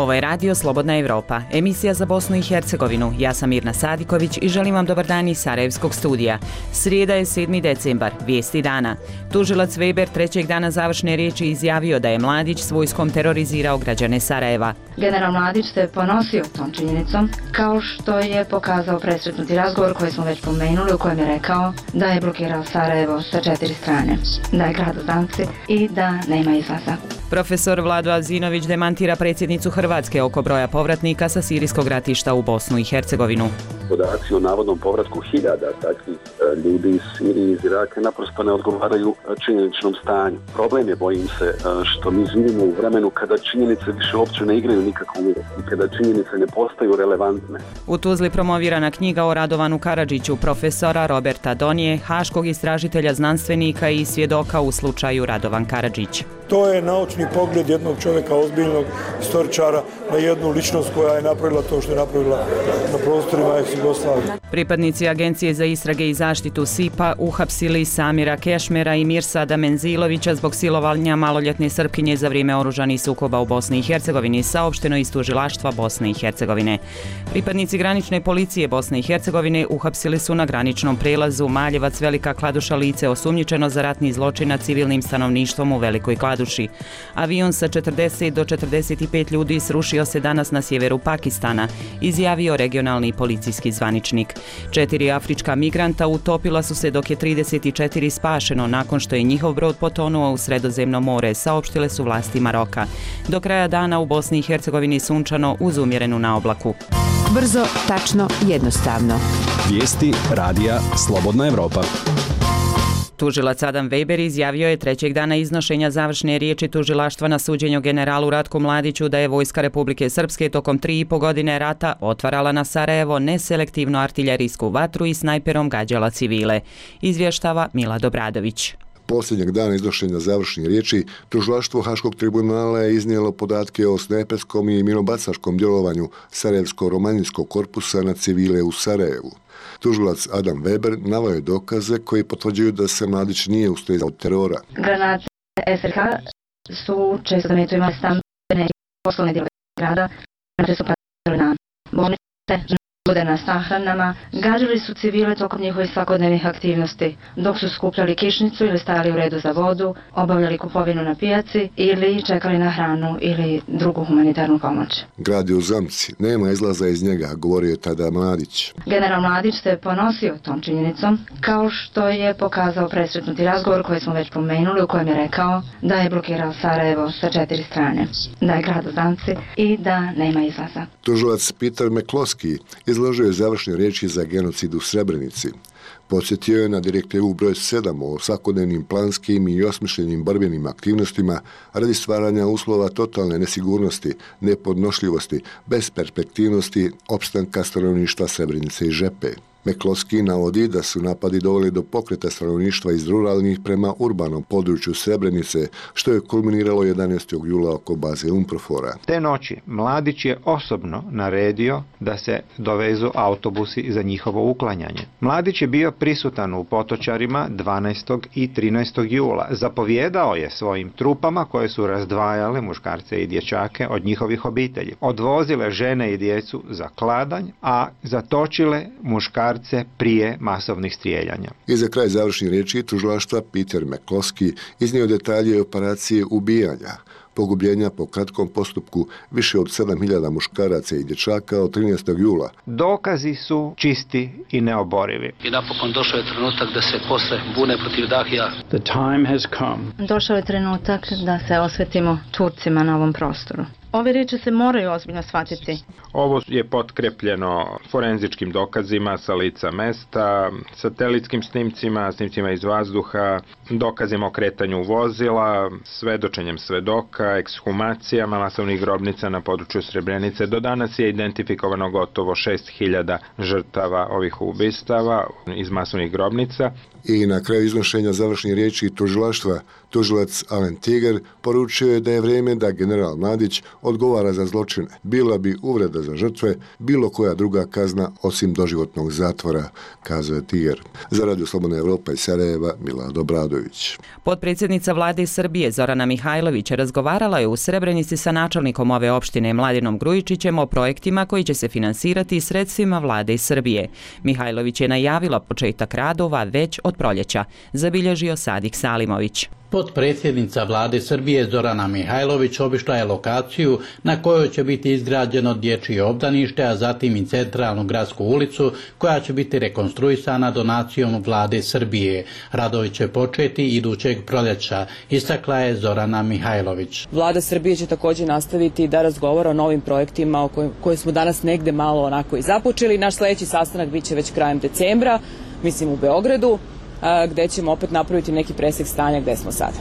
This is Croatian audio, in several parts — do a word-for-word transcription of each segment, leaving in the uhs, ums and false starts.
Ovo je Radio Slobodna Evropa, emisija za Bosnu i Hercegovinu. Ja sam Mirna Sadiković i želim vam dobar dan iz Sarajevskog studija. Srijeda je sedmi decembar, vijesti dana. Tužilac Weber trećeg dana završne riječi izjavio da je Mladić s vojskom terorizirao građane Sarajeva. General Mladić se ponosio tom činjenicom, kao što je pokazao presretnuti razgovor koji smo već pomenuli, u kojem je rekao da je blokirao Sarajevo sa četiri strane, da je grad u zamci i da nema izlaza. Profesor Vlado Azinović demantira predsjednicu Hrvatske oko broja povratnika sa sirijskog ratišta u Bosnu i Hercegovinu. Podaci o navodnom povratku hiljada takvih ljudi iz Sirije i iz Iraka naprosto ne odgovaraju činjeničnom stanju. Problem je, bojim se, što mi živimo u vremenu kada činjenice više uopće ne igraju nikakvu ulogu i kada činjenice ne postaju relevantne. U Tuzli promovirana knjiga o Radovanu Karadžiću, profesora Roberta Donije, haškog istražitelja, znanstvenika i svjedoka u slučaju Radovan Karadžić. To je naučni pogled jednog čovjeka, ozbiljnog istoričara, na jednu ličnost koja je napravila to što je napravila na prostorima ex-Jugoslavije. Pripadnici Agencije za istrage i zaštitu S I P A uhapsili Samira Kešmera i Mirsada Menzilovića zbog silovanja maloljetne Srpkinje za vrijeme oružanih sukoba u Bosni i Hercegovini, saopšteno iz tužilaštva Bosne i Hercegovine. Pripadnici granične policije Bosne i Hercegovine uhapsili su na graničnom prelazu Maljevac Velika Kladuša lice osumnjičeno za ratni zločin nad civilnim stanovništvom u Velikoj Kladuši. Avion sa četrdeset do četrdeset pet ljudi srušio se danas na sjeveru Pakistana, izjavio regionalni policijski zvaničnik. Četiri afrička migranta utopila su se dok je trideset četiri spašeno nakon što je njihov brod potonuo u Sredozemno more, saopštile su vlasti Maroka. Do kraja dana u Bosni i Hercegovini sunčano uz umjerenu naoblaku. Brzo, tačno, jednostavno. Vijesti Radija Slobodna Evropa. Tužilac Adam Weber izjavio je trećeg dana iznošenja završne riječi tužilaštva na suđenju generalu Ratku Mladiću da je vojska Republike Srpske tokom tri i po godine rata otvarala na Sarajevo neselektivno artiljerijsku vatru i snajperom gađala civile. Izvještava Mila Dobradović. Posljednjeg dana iznošenja završnih riječi, tužilaštvo Haškog tribunala je iznijelo podatke o snajperskom i minobacačkom djelovanju Sarajevsko-romanijskog korpusa na civile u Sarajevu. Tužilac Adam Weber naveo je dokaze koji potvrđuju da se Mladić nije ustezao od terora. Granate S R H su često zametu imali stambene i poslovne dijelove grada, granate su padale na bolnice, ljude na sahranama, gađali su civile tokom njihovih svakodnevnih aktivnosti, dok su skupljali kišnicu ili stajali u redu za vodu, obavljali kupovinu na pijaci ili čekali na hranu ili drugu humanitarnu pomoć. Grad je u zamci, nema izlaza iz njega, govorio je tada Mladić. General Mladić se ponosio tom činjenicom, kao što je pokazao presretnuti razgovor koji smo već pomenuli, u kojem je rekao da je blokirao Sarajevo sa četiri strane, da je grad u zamci i da nema izlaza. Tužilac Peter McCloskey izložio je završne riječi za genocid u Srebrenici. Podsjetio je na direktivu broj sedam o svakodnevnim planskim i osmišljenim borbenim aktivnostima radi stvaranja uslova totalne nesigurnosti, nepodnošljivosti, besperspektivnosti, opstanka stanovništva Srebrenice i Žepe. McCloskey navodi da su napadi doveli do pokreta stanovništva iz ruralnih prema urbanom području Srebrenice, što je kulminiralo jedanaestog jula oko baze Umprofora. Te noći Mladić je osobno naredio da se dovezu autobusi za njihovo uklanjanje. Mladić je bio prisutan u Potočarima dvanaestog i trinaestog jula. Zapovjedao je svojim trupama koje su razdvajale muškarce i dječake od njihovih obitelji. Odvozile žene i djecu za kladanj, a zatočile muškarce prije masovnih strijeljanja. I za kraj završnih riječi tužilaštva Peter McCloskey iznio detalje operacije ubijanja, pogubljenja po kratkom postupku više od sedam hiljada muškaraca i dječaka od trinaestog jula. Dokazi su čisti i neoborivi. I napokon došao je trenutak da se posle bune protiv Dahija. The time has come. Došao je trenutak da se osvetimo Turcima na ovom prostoru. Ove riječi se moraju ozbiljno shvatiti. Ovo je potkrepljeno forenzičkim dokazima sa lica mesta, satelitskim snimcima, snimcima iz vazduha, dokazima o kretanju vozila, svedočenjem svedoka, ekshumacijama masovnih grobnica na području Srebrenice. Do danas je identifikovano gotovo šest hiljada žrtava ovih ubistava iz masovnih grobnica. I na kraju iznošenja završnih riječi tužilaštva Tužilac Alen Tiger poručio je da je vrijeme da general Mladić odgovara za zločine. Bila bi uvreda za žrtve, bilo koja druga kazna osim doživotnog zatvora, kazao je Tiger. Za Radio Slobodna Evropa iz Sarajeva, Milad Obradović. Potpredsjednica vlade Srbije Zorana Mihajlović razgovarala je u Srebrenici sa načelnikom ove opštine Mladenom Grujičićem o projektima koji će se finansirati sredstvima vlade Srbije. Mihajlović je najavila početak radova već od proljeća, zabilježio Sadik Salimović. Potpredsjednica vlade Srbije Zorana Mihajlović obišla je lokaciju na kojoj će biti izgrađeno dječje obdanište, a zatim i centralnu gradsku ulicu koja će biti rekonstruisana donacijom vlade Srbije. Radovi će početi idućeg proljeća, istakla je Zorana Mihajlović. Vlada Srbije će također nastaviti da razgovara o novim projektima o kojim, koje smo danas negde malo onako i započeli. Naš sljedeći sastanak biće već krajem decembra, mislim u Beogradu, gde ćemo opet napraviti neki presek stanja gde smo sada.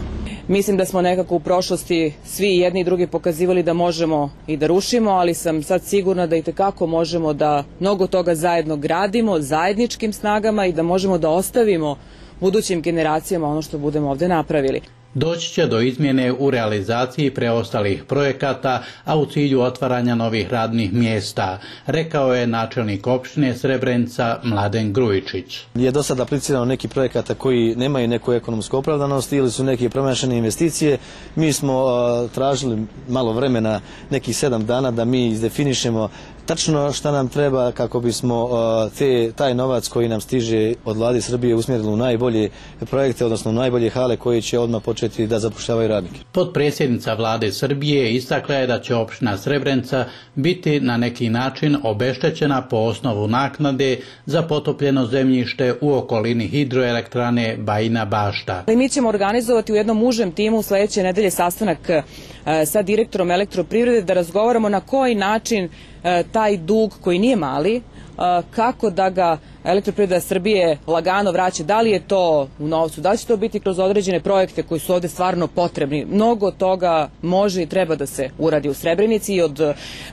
Mislim da smo nekako u prošlosti svi jedni i drugi pokazivali da možemo i da rušimo, ali sam sad sigurna da i tekako možemo da mnogo toga zajedno gradimo, zajedničkim snagama i da možemo da ostavimo budućim generacijama ono što budemo ovde napravili. Doći će do izmjene u realizaciji preostalih projekata, a u cilju otvaranja novih radnih mjesta, rekao je načelnik opštine Srebrenica Mladen Grujičić. Je do sada aplicirano neki projekata koji nemaju neku ekonomsku opravdanost ili su neke promašene investicije. Mi smo uh, tražili malo vremena, nekih sedam dana, da mi izdefinišemo tačno šta nam treba kako bismo uh, te, taj novac koji nam stiže od vlade Srbije usmjerili u najbolje projekte, odnosno u najbolje hale koji će odmah početi da zapošljavaju radnike. Potpredsjednica vlade Srbije istakla je da će opština Srebrenica biti na neki način obeštećena po osnovu naknade za potopljeno zemljište u okolini hidroelektrane Bajina Bašta. Mi ćemo organizovati u jednom užem timu sljedeće nedelje sastanak sa direktorom Elektroprivrede da razgovaramo na koji način taj dug koji nije mali, kako da ga Elektroprivreda Srbije lagano vraća, da li je to u novcu, da li će to biti kroz određene projekte koji su ovde stvarno potrebni. Mnogo toga može i treba da se uradi u Srebrenici i od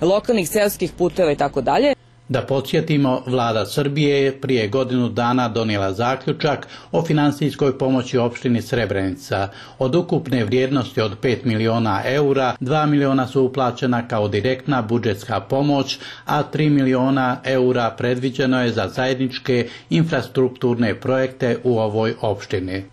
lokalnih seoskih puteva i tako dalje. Da podsjetimo, vlada Srbije je prije godinu dana donijela zaključak o finansijskoj pomoći opštini Srebrenica. Od ukupne vrijednosti od pet miliona eura, dva miliona su uplaćena kao direktna budžetska pomoć, a tri miliona eura predviđeno je za zajedničke infrastrukturne projekte u ovoj opštini.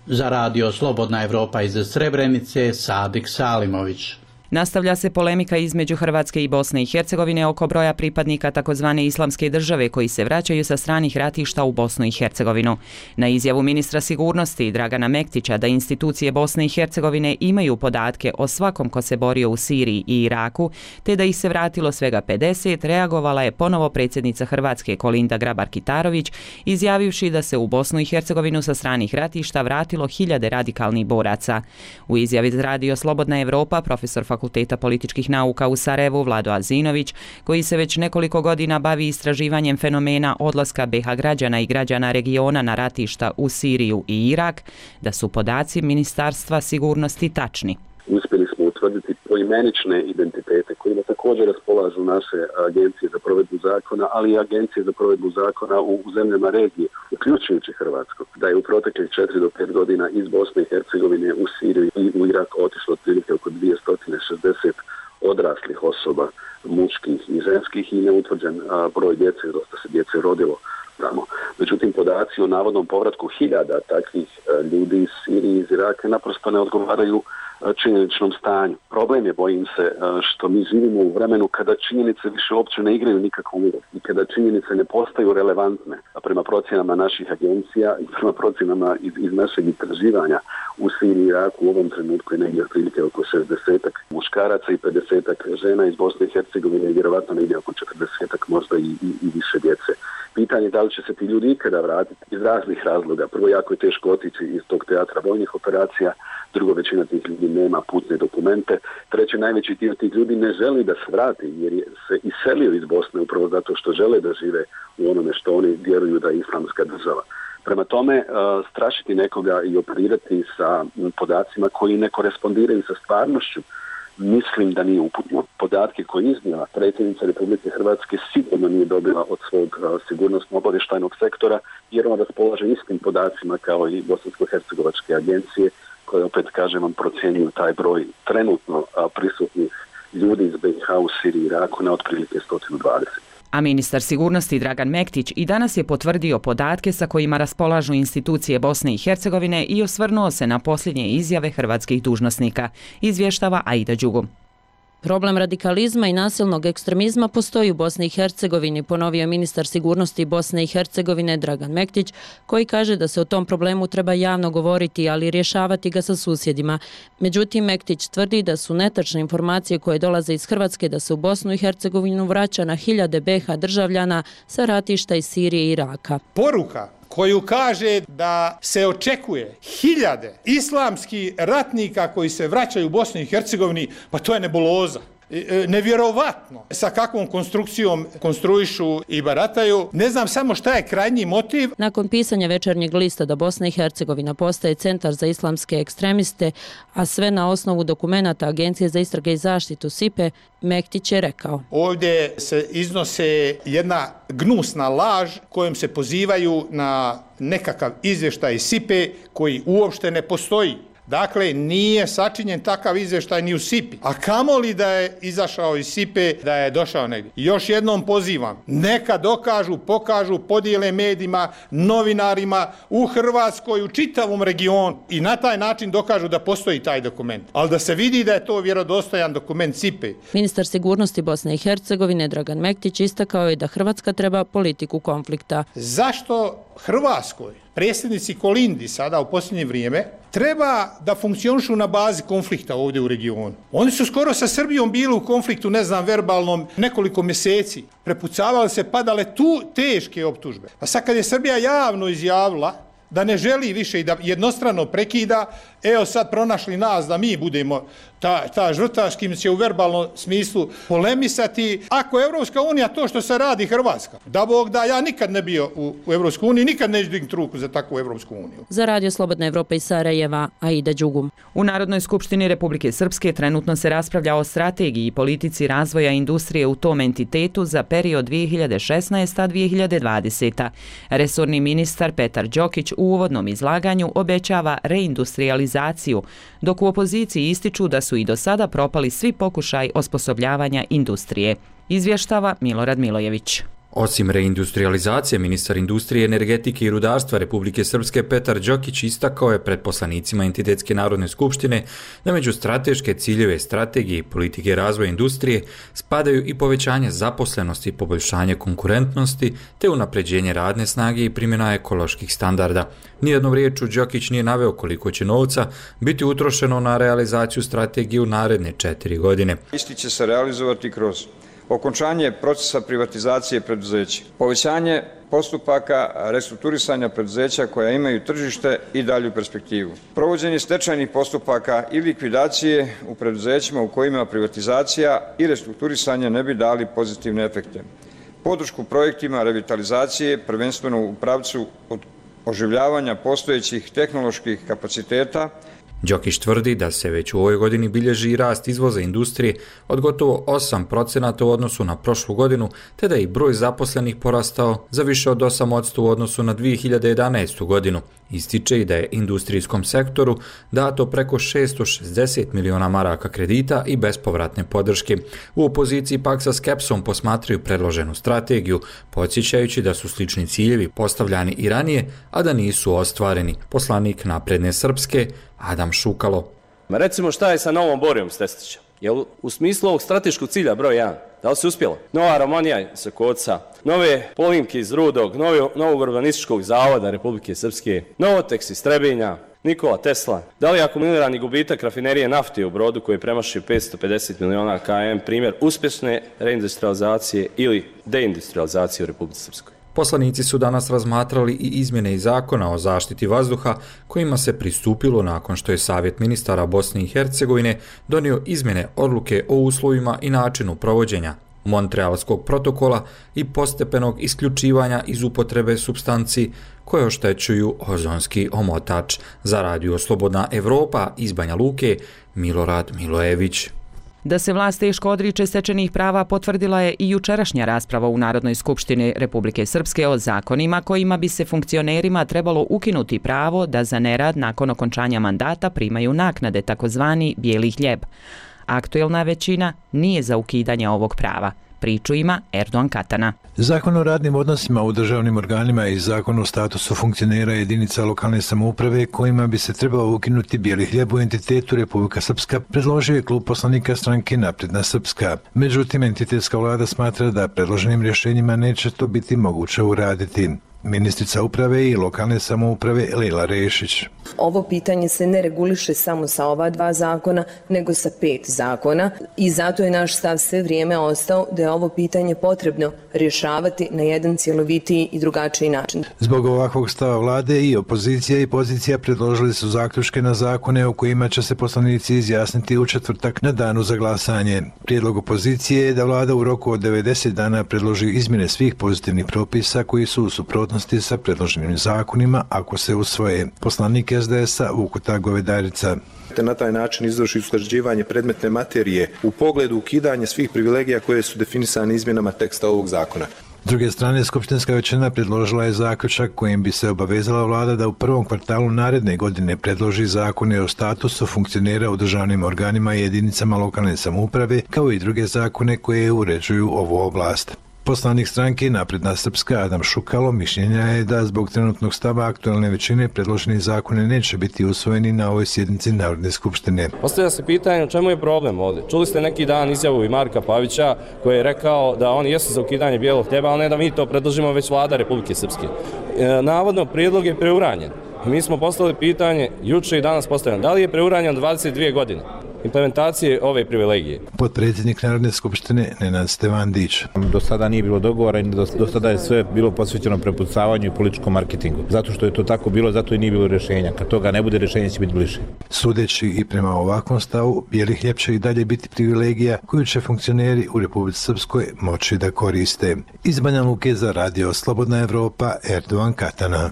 Za Radio Slobodna Evropa iz Srebrenice, Sadik Salimović. Nastavlja se polemika između Hrvatske i Bosne i Hercegovine oko broja pripadnika takozvane islamske države koji se vraćaju sa stranih ratišta u Bosnu i Hercegovinu. Na izjavu ministra sigurnosti Dragana Mektića da institucije Bosne i Hercegovine imaju podatke o svakom ko se borio u Siriji i Iraku, te da ih se vratilo svega pedeset, reagovala je ponovo predsjednica Hrvatske Kolinda Grabar-Kitarović, izjavivši da se u Bosnu i Hercegovinu sa stranih ratišta vratilo hiljade radikalnih boraca. U izjavi za Radio Slobodna Evropa profesor Fakulteta političkih nauka u Sarajevu Vlado Azinović, koji se već nekoliko godina bavi istraživanjem fenomena odlaska be ha građana i građana regiona na ratišta u Siriju i Irak, da su podaci Ministarstva sigurnosti tačni. Uspjeli smo utvrditi poimenične identitete kojima također raspolažu naše agencije za provedbu zakona, ali i agencije za provedbu zakona u zemljama regije, uključujući Hrvatsku. Da je u proteklih četiri do pet godina iz Bosne i Hercegovine u Siriju i u Irak otišlo otprilike oko dvjesto šezdeset odraslih osoba, muških i ženskih, i neutvrđen broj djece, dosta se djece rodilo tamo. Međutim, podaci o navodnom povratku hiljada takvih ljudi iz Sirije i iz Iraka naprosto ne odgovaraju činjeničnom stanju. Problem je, bojim se, što mi živimo u vremenu kada činjenice više uopće ne igraju nikakvu ulogu i kada činjenice ne postaju relevantne. A prema procjenama naših agencija i prema procjenama iz, iz našeg istraživanja u Siriji i Iraku u ovom trenutku je negdje otprilike oko šezdesetak muškaraca i pedesetak žena iz Bosne i Hercegovine i vjerovatno negdje oko četrdesetak možda i, i, i više djece. Pitanje je da li će se ti ljudi ikada vratiti iz raznih razloga. Prvo, jako je teško otići iz tog teatra vojnih operacija, drugo, većina tih ljudi nema putne dokumente, treće, najveći dio tih ljudi ne želi da se vrati jer se iselio iz Bosne upravo zato što žele da žive u onome što oni vjeruju da je islamska država. Prema tome, strašiti nekoga i operirati sa podacima koji ne korespondiraju sa stvarnošću, mislim da nije uputno. Podatke koje iznijela predsjednica Republike Hrvatske sigurno nije dobila od svog sigurnosno-obavještajnog sektora, jer on raspolaže istim podacima kao i bosansko-hercegovačke agencije koje opet kažem vam procjenjuju taj broj trenutno prisutnih ljudi iz B i H u Siriji i Iraku na otprilike sto dvadeset. A ministar sigurnosti Dragan Mektić i danas je potvrdio podatke sa kojima raspolažu institucije Bosne i Hercegovine i osvrnuo se na posljednje izjave hrvatskih dužnosnika, izvještava Aida Đugum. Problem radikalizma i nasilnog ekstremizma postoji u Bosni i Hercegovini, ponovio ministar sigurnosti Bosne i Hercegovine Dragan Mektić, koji kaže da se o tom problemu treba javno govoriti, ali rješavati ga sa susjedima. Međutim, Mektić tvrdi da su netačne informacije koje dolaze iz Hrvatske da se u Bosnu i Hercegovinu vraća na hiljade B H državljana sa ratišta iz Sirije i Iraka. Poruka koju kaže da se očekuje hiljade islamskih ratnika koji se vraćaju u Bosni i Hercegovini, pa to je nebuloza. Nevjerovatno sa kakvom konstrukcijom konstruišu i barataju. Ne znam samo šta je krajnji motiv. Nakon pisanja Večernjeg lista da Bosna i Hercegovina postaje centar za islamske ekstremiste, a sve na osnovu dokumenata Agencije za istrage i zaštitu S I P E, Mektić je rekao: ovdje se iznose jedna gnusna laž kojom se pozivaju na nekakav izvještaj S I P E koji uopšte ne postoji. Dakle, nije sačinjen takav izvještaj ni u S I P I, a kamoli da je izašao iz S I P E, da je došao negdje. Još jednom pozivam, neka dokažu, pokažu, podijele medijima, novinarima u Hrvatskoj, u čitavom regionu i na taj način dokažu da postoji taj dokument. Ali da se vidi da je to vjerodostojan dokument S I P E. Ministar sigurnosti Bosne i Hercegovine Dragan Mektić istakao je da Hrvatska treba politiku konflikta. Zašto Hrvatskoj predsjednici Kolindi sada u posljednje vrijeme treba da funkcionišu na bazi konflikta ovdje u regionu? Oni su skoro sa Srbijom bili u konfliktu, ne znam, verbalnom nekoliko mjeseci. Prepucavali se, padale tu teške optužbe. A sad kad je Srbija javno izjavila da ne želi više i da jednostrano prekida, evo sad pronašli nas da mi budemo ta, ta žrtva s kim će u verbalnom smislu polemisati. Ako je Evropska unija to što se radi Hrvatska, da Bog da, ja nikad ne bio u, u Evropskoj uniji, nikad neću dignuti ruku za takvu Evropsku uniju. Za Radio Slobodna Evropa iz Sarajeva, Aida Đugum. U Narodnoj skupštini Republike Srpske trenutno se raspravlja o strategiji i politici razvoja industrije u tom entitetu za period dvije hiljade šesnaesta do dvije hiljade dvadeseta. Resorni ministar Petar Đokić u uvodnom izlaganju obećava reindustrializaciju, dok u opoziciji ističu da su i do sada propali svi pokušaj osposobljavanja industrije. Izvještava Milorad Milojević. Osim reindustrializacije, ministar industrije, energetike i rudarstva Republike Srpske Petar Đokić istakao je pred poslanicima Entitetske narodne skupštine da među strateške ciljeve strategije i politike razvoja industrije spadaju i povećanje zaposlenosti, poboljšanje konkurentnosti te unapređenje radne snage i primjena ekoloških standarda. Nijednom riječu Đokić nije naveo koliko će novca biti utrošeno na realizaciju strategije u naredne četiri godine. Isti će se realizovati kroz okončanje procesa privatizacije preduzeća, povećanje postupaka restrukturisanja preduzeća koja imaju tržište i dalju perspektivu, provođenje stečajnih postupaka i likvidacije u preduzećima u kojima privatizacija i restrukturisanje ne bi dali pozitivne efekte, podršku projektima revitalizacije prvenstveno u pravcu od oživljavanja postojećih tehnoloških kapaciteta. Đokić tvrdi da se već u ovoj godini bilježi rast izvoza industrije od gotovo osam procenata u odnosu na prošlu godinu, te da je i broj zaposlenih porastao za više od osam posto u odnosu na dvije hiljade jedanaestu godinu. Ističe i da je industrijskom sektoru dato preko šesto šezdeset miliona maraka kredita i bespovratne podrške. U opoziciji pak sa skepsom posmatraju predloženu strategiju, podsjećajući da su slični ciljevi postavljani i ranije, a da nisu ostvareni. Poslanik Napredne Srpske Adam Šukalo. Recimo šta je sa Novom Borijom Stestića? Jel u smislu ovog strateškog cilja broj jedan? Da li se uspjelo? Nova Romanija sa Koca, nove polimke iz Rudog, novi, novog urbanističkog zavoda Republike Srpske, Novoteks iz Trebinja, Nikola Tesla. Da li je akumulirani gubitak rafinerije nafte u Brodu koji premašuje petsto pedeset miliona kilometara primjer uspješne reindustrializacije ili deindustrializacije u Republike Srpskoj? Poslanici su danas razmatrali i izmjene iz zakona o zaštiti vazduha kojima se pristupilo nakon što je Savjet ministara Bosne i Hercegovine donio izmjene odluke o uslovima i načinu provođenja Montrealskog protokola i postepenog isključivanja iz upotrebe supstanci koje oštećuju ozonski omotač. Za Radio Slobodna Evropa iz Banja Luke, Milorad Milojević. Da se vlast teško odriče stečenih prava potvrdila je i jučerašnja rasprava u Narodnoj skupštini Republike Srpske o zakonima kojima bi se funkcionerima trebalo ukinuti pravo da za nerad nakon okončanja mandata primaju naknade, takozvani bijeli hljeb. Aktuelna većina nije za ukidanje ovog prava. Priču ima Erdogan Katana. Zakon o radnim odnosima u državnim organima i zakon o statusu funkcionera jedinica lokalne samouprave kojima bi se trebalo ukinuti bijeli hljeb u entitetu Republika Srpska predložio je klub poslanika stranke Napredna Srpska. Međutim, entitetska vlada smatra da predloženim rješenjima neće to biti moguće uraditi. Ministrica uprave i lokalne samouprave Lejla Rešić. Ovo pitanje se ne reguliše samo sa ova dva zakona, nego sa pet zakona i zato je naš stav sve vrijeme ostao da je ovo pitanje potrebno rješavati na jedan cjelovitiji i drugačiji način. Zbog ovakvog stava vlade i opozicija i pozicija predložili su zaključke na zakone o kojima će se poslanici izjasniti u četvrtak na danu za glasanje. Prijedlog opozicije je da vlada u roku od devedeset dana predloži izmjene svih pozitivnih propisa koji su u suprotnosti sa predloženim zakonima ako se usvoje. Poslanik es de es a Vukuta Govedarica. Na taj način izvrši usklađivanje predmetne materije u pogledu ukidanja svih privilegija koje su definisane izmjenama teksta ovog zakona. S druge strane, skupštinska većina predložila je zaključak kojim bi se obavezala vlada da u prvom kvartalu naredne godine predloži zakone o statusu funkcionera u državnim organima i jedinicama lokalne samouprave, kao i druge zakone koje uređuju ovu oblast. Poslanik stranke Napredna Srpska Adam Šukalo mišljenja je da zbog trenutnog stava aktualne većine predloženi zakone neće biti usvojeni na ovoj sjednici Narodne skupštine. Postavlja se pitanje u čemu je problem ovdje. Čuli ste neki dan izjavu i Marka Pavića koji je rekao da oni jesu za ukidanje bijelog hljeba, ali ne da mi to predložimo već vlada Republike Srpske. E, navodno prijedlog je preuranjen. Mi smo postavili pitanje juče i danas postavljamo da li je preuranjen dvadeset dvije godine implementacije ove privilegije. Potpredsjednik Narodne skupštine Nenad Stevandić. Do sada nije bilo dogovora i do, do sada je sve bilo posvećeno prepucavanju i političkom marketingu. Zato što je to tako bilo, zato i nije bilo rješenja. Kad toga ne bude, rješenje će biti bliže. Sudeći i prema ovakvom stavu, bijeli hljeb će i dalje biti privilegija koju će funkcioneri u Republici Srpskoj moći da koriste. Iz Banja Luke za radio Slobodna Evropa, Erdogan Katana.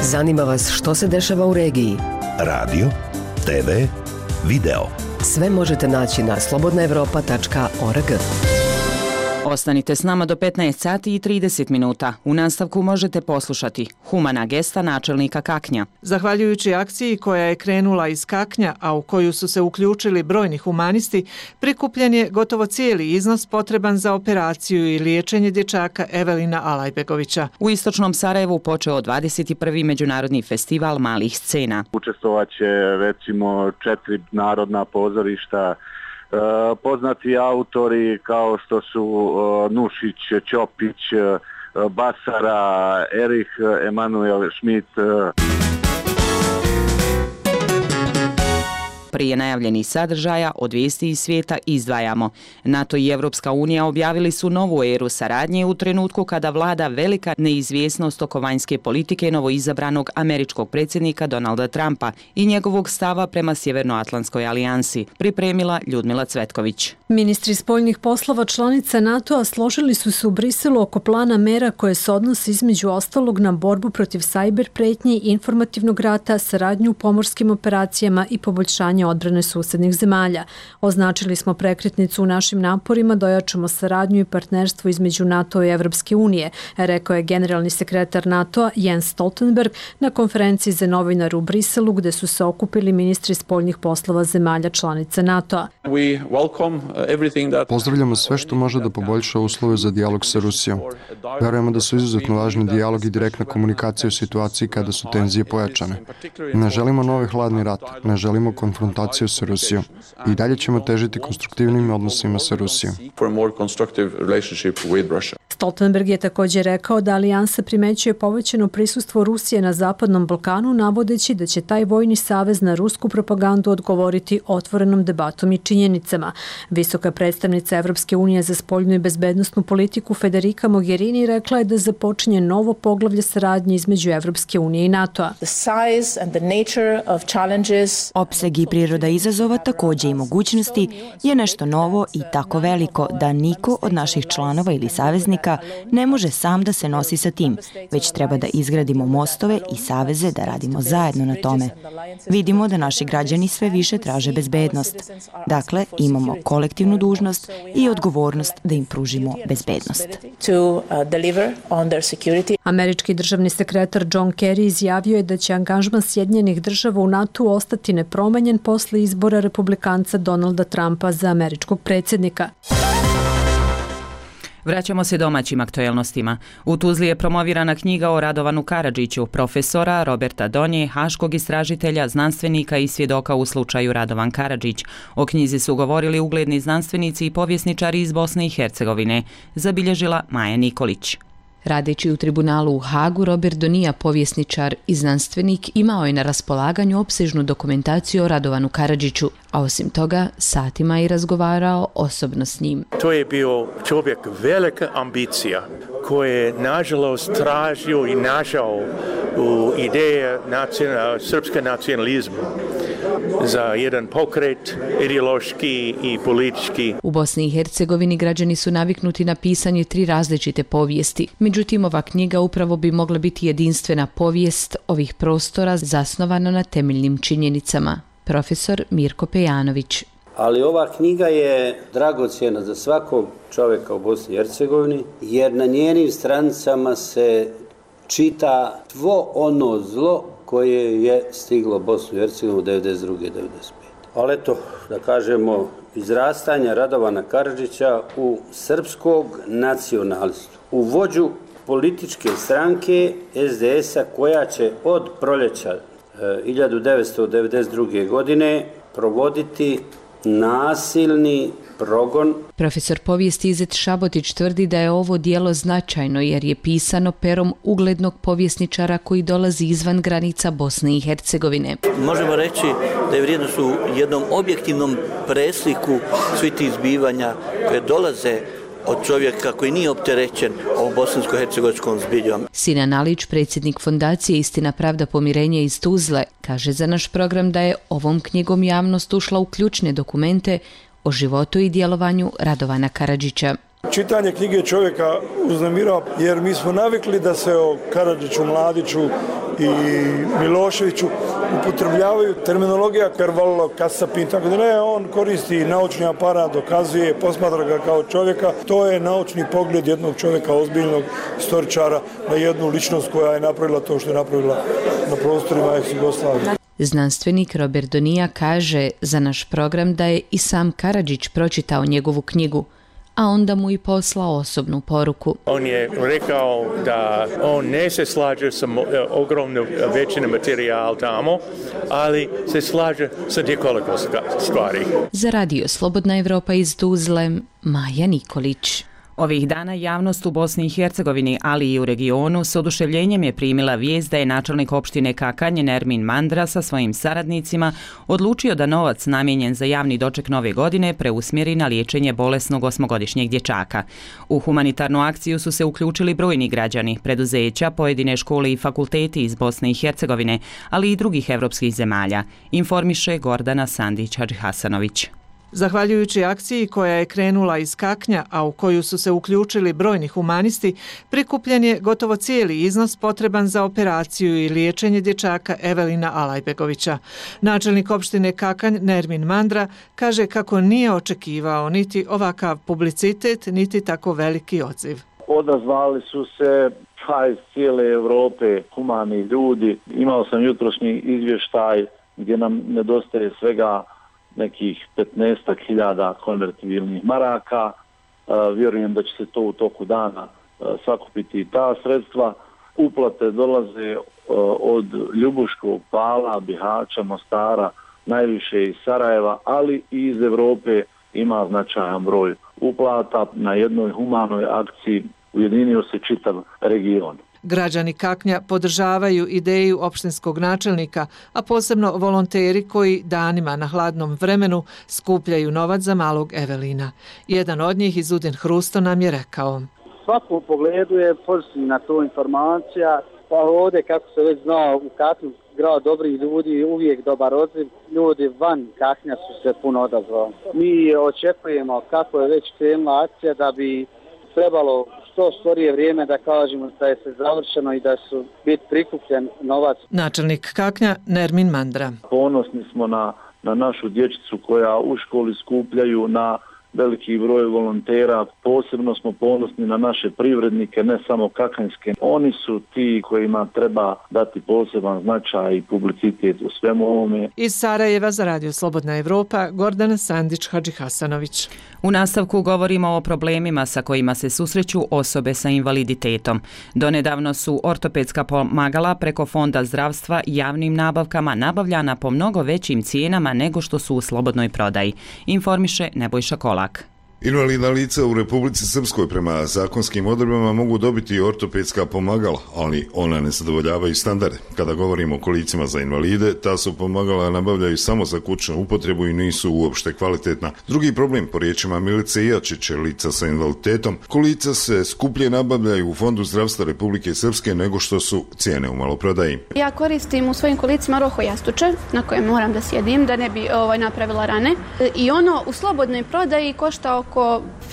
Zanima vas što se dešava u regiji? Radio, te ve, video. Sve možete naći na slobodna evropa tačka org. Ostanite s nama do petnaest sati i trideset minuta. U nastavku možete poslušati humana gesta načelnika Kaknja. Zahvaljujući akciji koja je krenula iz Kaknja, a u koju su se uključili brojni humanisti, prikupljen je gotovo cijeli iznos potreban za operaciju i liječenje dječaka Evelina Alajbegovića. U istočnom Sarajevu počeo dvadeset prvi međunarodni festival malih scena. Učestvovaće recimo četiri narodna pozorišta, poznati autori kao što su Nušić, Ćopić, Basara, Erich Emanuel Schmidt. Prije najavljenih sadržaja od vijesti iz svijeta izdvajamo. NATO i Evropska unija objavili su novu eru saradnje u trenutku kada vlada velika neizvjesnost oko vanjske politike novoizabranog američkog predsjednika Donalda Trumpa i njegovog stava prema Sjevernoatlantskoj alijansi, pripremila Ljudmila Cvetković. Ministri spoljnih poslova članica NATO-a složili su se u Briselu oko plana mera koje se odnose između ostalog na borbu protiv sajber pretnji, informativnog rata, saradnju u pomorskim operacijama i poboljšanje odbrane susednih zemalja. Označili smo prekretnicu u našim naporima da ojačamo saradnju i partnerstvo između NATO i Evropske unije, rekao je generalni sekretar NATO-a Jens Stoltenberg na konferenciji za novinare u Briselu gde su se okupili ministri spoljnih poslova zemalja članica NATO-a. Pozdravljamo sve što može da poboljša uslove za dijalog sa Rusijom. Verujemo da su izuzetno važni dijalog i direktna komunikacija u situaciji kada su tenzije pojačane. Ne želimo novi hladni rat, ne želimo konfrontaciju sa Rusijom. I dalje ćemo težiti konstruktivnim odnosima sa Rusijom. Stoltenberg je također rekao da alijansa primećuje povećano prisustvo Rusije na Zapadnom Balkanu, navodeći da će taj vojni savez na rusku propagandu odgovoriti otvorenom debatom i činjenicama. Visoka predstavnica Evropske unije za spoljnu i bezbednosnu politiku Federica Mogherini rekla je da započinje novo poglavlje saradnje između Evropske unije i NATO-a. Opseg i priroda izazova, takođe i mogućnosti, je nešto novo i tako veliko da niko od naših članova ili saveznika ne može sam da se nosi sa tim, već treba da izgradimo mostove i saveze da radimo zajedno na tome. Vidimo da naši građani sve više traže bezbednost. Dakle, imamo kolektivnu dužnost i odgovornost da im pružimo bezbednost. Američki državni sekretar John Kerry izjavio je da će angažman Sjedinjenih država u NATO ostati nepromenjen posle izbora republikanca Donalda Trumpa za američkog predsjednika. Vraćamo se domaćim aktuelnostima. U Tuzli je promovirana knjiga o Radovanu Karadžiću, profesora Roberta Donje, haškog istražitelja, znanstvenika i svjedoka u slučaju Radovan Karadžić. O knjizi su govorili ugledni znanstvenici i povjesničari iz Bosne i Hercegovine, zabilježila Maja Nikolić. Radeći u tribunalu u Hagu, Robert Donija, povjesničar i znanstvenik, imao je na raspolaganju opsežnu dokumentaciju o Radovanu Karadžiću, a osim toga satima je razgovarao osobno s njim. To je bio čovjek velika ambicija koji je nažalost tražio i našao u ideje nacional, srpske nacionalizma za jedan pokret ideološki i politički. U Bosni i Hercegovini građani su naviknuti na pisanje tri različite povijesti. Međutim, ova knjiga upravo bi mogla biti jedinstvena povijest ovih prostora zasnovana na temeljnim činjenicama. Profesor Mirko Pejanović. Ali ova knjiga je dragocjena za svakog čovjeka u Bosni i Hercegovini, jer na njenim stranicama se čita svo ono zlo koje je stiglo Bosnu i Hercegovinu devedeset druge devedeset pete Ali eto, da kažemo, izrastanja Radovana Karadžića u srpskog nacionalistu, u vođu političke stranke es de es a koja će od proljeća hiljadu devetsto devedeset druge godine provoditi nasilni progon. Profesor povijesti Izet Šabotić tvrdi da je ovo dijelo značajno jer je pisano perom uglednog povjesničara koji dolazi izvan granica Bosne i Hercegovine. Možemo reći da je vrijednost u jednom objektivnom presliku svih tih zbivanja koje dolaze od čovjeka koji nije opterećen ovom bosansko-hercegovačkom zbiljom. Sinan Alić, predsjednik fondacije Istina, pravda, pomirenje iz Tuzle, kaže za naš program da je ovom knjigom javnost ušla u ključne dokumente o životu i djelovanju Radovana Karadžića. Čitanje knjige čovjeka uznemirava jer mi smo navikli da se o Karadžiću, Mladiću i Miloševiću upotrebljavaju terminologija Karvallo, Kasapin, tako da ne, on koristi naučni aparat, dokazuje, posmatra ga kao čovjeka. To je naučni pogled jednog čovjeka, ozbiljnog istoričara na jednu ličnost koja je napravila to što je napravila na prostorima ex-Jugoslavije. Znanstvenik Robert Donija kaže za naš program da je i sam Karadžić pročitao njegovu knjigu, a onda mu i poslao osobnu poruku. On je rekao da on ne se slaže sa ogromnom većinom materijala tamo, ali se slaže sa nekoliko stvari. Za radio Slobodna Evropa iz Tuzle, Maja Nikolić. Ovih dana javnost u Bosni i Hercegovini, ali i u regionu, s oduševljenjem je primila vijest da je načelnik opštine Kakanj Nermin Mandra sa svojim saradnicima odlučio da novac namijenjen za javni doček nove godine preusmjeri na liječenje bolesnog osmogodišnjeg dječaka. U humanitarnu akciju su se uključili brojni građani, preduzeća, pojedine škole i fakulteti iz Bosne i Hercegovine, ali i drugih evropskih zemalja, informiše Gordana Sandić-Hadžihasanović. Zahvaljujući akciji koja je krenula iz Kaknja, a u koju su se uključili brojni humanisti, prikupljen je gotovo cijeli iznos potreban za operaciju i liječenje dječaka Evelina Alajbegovića. Načelnik opštine Kakanj Nermin Mandra kaže kako nije očekivao niti ovakav publicitet, niti tako veliki odziv. Odazvali su se pa iz cijele Evrope humani ljudi. Imao sam jutrošnji izvještaj gdje nam nedostaje svega nekih petnaestak hiljada konvertibilnih maraka. E, vjerujem da će se to u toku dana e, sakupiti i ta sredstva. Uplate dolaze e, od Ljubuškog, Pala, Bihaća, Mostara, najviše iz Sarajeva, ali i iz Evrope ima značajan broj uplata. Na jednoj humanoj akciji ujedinio se čitav region. Građani Kaknja podržavaju ideju opštinskog načelnika, a posebno volonteri koji danima na hladnom vremenu skupljaju novac za malog Evelina. Jedan od njih, Izudin Hrusto, nam je rekao. U svakom pogledu je pozitivna to informacija, pa ovdje, kako se već znao, u Kaknju grad dobrih ljudi, uvijek dobar odziv. Ljudi van Kaknja su se puno odazvali. Mi očekujemo kako je već krenula akcija da bi trebalo što skorije vrijeme da kažemo da je se završeno i da su biti prikupljen novac. Načelnik Kaknja Nermin Mandra. Ponosni smo na, na našu dječicu koja u školi skupljaju, na veliki broj volontera, posebno smo ponosni na naše privrednike, ne samo kakanjske. Oni su ti kojima treba dati poseban značaj i publicitet u svemu ovome. Iz Sarajeva za Radio Slobodna Evropa, Gordana Sandić-Hadžihasanović. U nastavku govorimo o problemima sa kojima se susreću osobe sa invaliditetom. Donedavno su ortopedska pomagala preko Fonda zdravstva javnim nabavkama nabavljana po mnogo većim cijenama nego što su u slobodnoj prodaji. Informiše Nebojša Kolak. Invalidna lica u Republici Srpskoj prema zakonskim odredbama mogu dobiti ortopedska pomagala, ali ona ne zadovoljavaju standarde. Kada govorimo o kolicima za invalide, ta su pomagala nabavljaju samo za kućnu upotrebu i nisu uopšte kvalitetna. Drugi problem, po riječima Milice Ijačiće, lica sa invaliditetom, kolica se skuplje nabavljaju u Fondu zdravstva Republike Srpske nego što su cijene u maloprodaji. Ja koristim u svojim kolicima roho jastuče na kojem moram da sjedim da ne bi ovaj, napravila rane. I ono u slobodnoj prodaji košta oko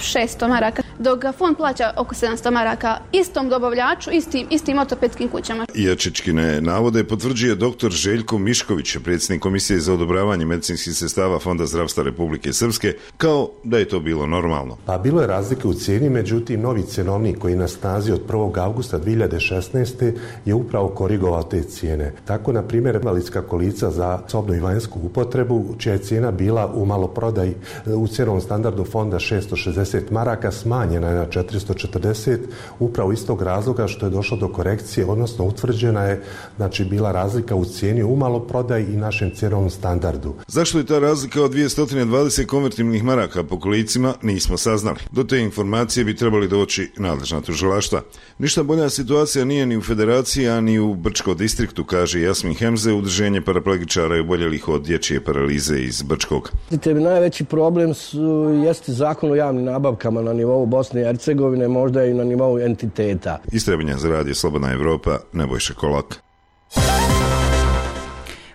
šesto maraka, dok ga fond plaća oko sedamsto maraka istom dobavljaču, istim, istim ortopedskim kućama. Ijačičkine navode potvrđuje doktor Željko Mišković, predsjednik Komisije za odobravanje medicinskih sredstava Fonda zdravstva Republike Srpske, kao da je to bilo normalno. Pa bilo je razlike u cijeni, međutim novi cjenovnik koji je na snazi od prvog avgusta dvije hiljade šesnaeste. je upravo korigovao te cijene. Tako, na primjer, invalidska kolica za sobnu i vanjsku upotrebu, čija je cijena bila u maloprodaji u cjenovnom standardu fonda šesto šezdeset maraka, smanjena je na četiristo četrdeset, upravo iz tog razloga što je došlo do korekcije, odnosno utvrđena je, znači, bila razlika u cijeni u maloprodaji i našem cjenovnom standardu. Zašto je ta razlika od dvjesto dvadeset konvertibilnih maraka po kolicima, nismo saznali. Do te informacije bi trebali doći nadležna tužilaštva. Ništa bolja situacija nije ni u Federaciji, a ni u Brčko distriktu, kaže Jasmin Hemze, udruženje paraplegičara i oboljelih od dječje paralize iz Brčkog. Najveći problem su, jeste zakon o javnim nabavkama na nivou Bosne i Hercegovine, možda i na nivou entiteta. Iz Trebinja za Radio Slobodna Evropa, Nebojša Kolak.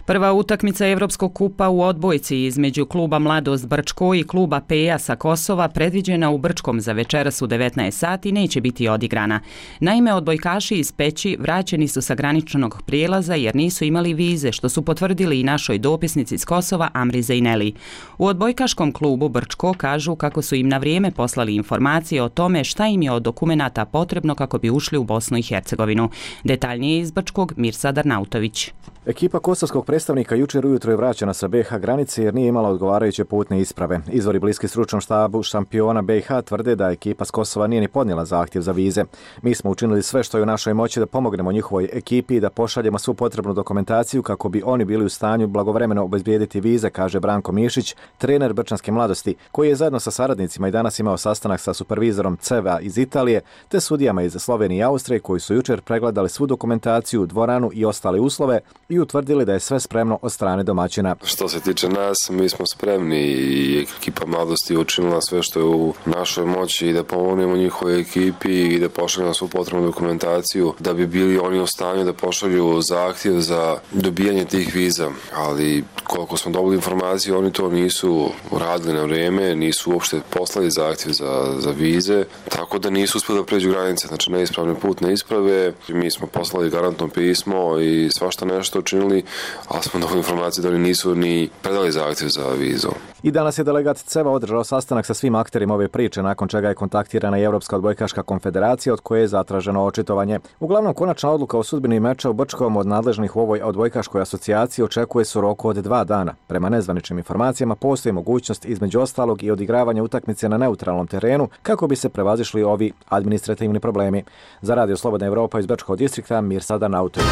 Prva utakmica Evropskog kupa u odbojci između kluba Mladost Brčko i kluba Peja sa Kosova, predviđena u Brčkom za večeras u devetnaest sati, neće biti odigrana. Naime, odbojkaši iz Peći vraćeni su sa graničnog prijelaza jer nisu imali vize, što su potvrdili i našoj dopisnici iz Kosova Amri Zejneli. U odbojkaškom klubu Brčko kažu kako su im na vrijeme poslali informacije o tome šta im je od dokumenata potrebno kako bi ušli u Bosnu i Hercegovinu. Detaljnije iz Brčkog Mirsad Arnautović. Ekipa kosovskog predstavnika jučer ujutro je vraćena sa B i H granice jer nije imala odgovarajuće putne isprave. Izvori bliski stručnom štabu šampiona B i H tvrde da ekipa s Kosova nije ni podnijela zahtjev za vize. Mi smo učinili sve što je u našoj moći da pomognemo njihovoj ekipi i da pošaljemo svu potrebnu dokumentaciju kako bi oni bili u stanju blagovremeno obezbijediti vize, kaže Branko Mišić, trener Brčanske mladosti, koji je zajedno sa saradnicima i danas imao sastanak sa supervizorom C E V A iz Italije te sudijama iz Slovenije i Austrije koji su jučer pregledali svu dokumentaciju, dvoranu i ostale uslove i utvrdili da je sve spremno od strane domaćina. Što se tiče nas, mi smo spremni i ekipa mladosti učinila sve što je u našoj moći i da pomognemo njihovoj ekipi i da pošaljemo svu potrebnu dokumentaciju da bi bili oni u stanju da pošalju zahtjev za dobijanje tih viza. Ali koliko smo dobili informaciju, oni to nisu uradili na vrijeme, nisu uopšte poslali zahtjev za, za vize, tako da nisu uspjeli da pređu granice, znači neispravne putne isprave. Mi smo poslali garantno pismo i svašta nešto učinili, ali smo dobili informaciju da oni nisu ni predali zahtjev za vizu. I danas je delegat C E V A održao sastanak sa svim akterima ove priče, nakon čega je kontaktirana i Europska odbojkaška konfederacija od koje je zatraženo očitovanje. Uglavnom, konačna odluka o sudbini meča u Brčkom od nadležnih u ovoj odbojkaškoj asocijaciji očekuje se u roku od dva dana. Prema nezvaničnim informacijama postoji mogućnost između ostalog i odigravanja utakmice na neutralnom terenu kako bi se prevazišli ovi administrativni problemi. Za Radio Slobodna Evropa iz Brčkog distrikta Mirsad Arnautović.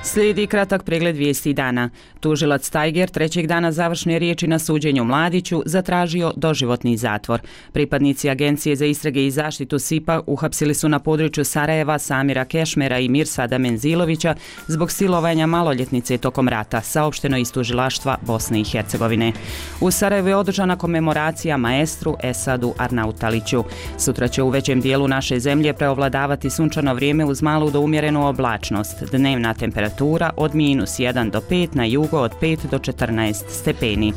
Slijedi kratak pregled vijesti dana. Tužilac Tajger trećeg dana završne riječi na suđenju Mladiću zatražio doživotni zatvor. Pripadnici Agencije za istrage i zaštitu S I P-a uhapsili su na području Sarajeva Samira Kešmera i Mirsada Menzilovića zbog silovanja maloljetnice tokom rata, saopšteno iz tužilaštva Bosne i Hercegovine. U Sarajevu je održana komemoracija maestru Esadu Arnautaliću. Sutra će u većem dijelu naše zemlje preovladavati sunčano vrijeme uz malu do umjerenu oblačnost. Dnevna temperatura od minus jedan do pet, na jugu od pet do četrnaest stepeni.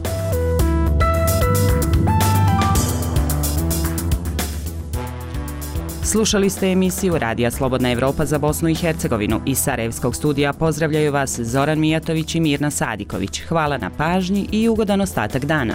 Slušali ste emisiju Radija Slobodna Evropa za Bosnu i Hercegovinu. Iz Sarajevskog studija pozdravljaju vas Zoran Mijatović i Mirna Sadiković. Hvala na pažnji i ugodan ostatak dana.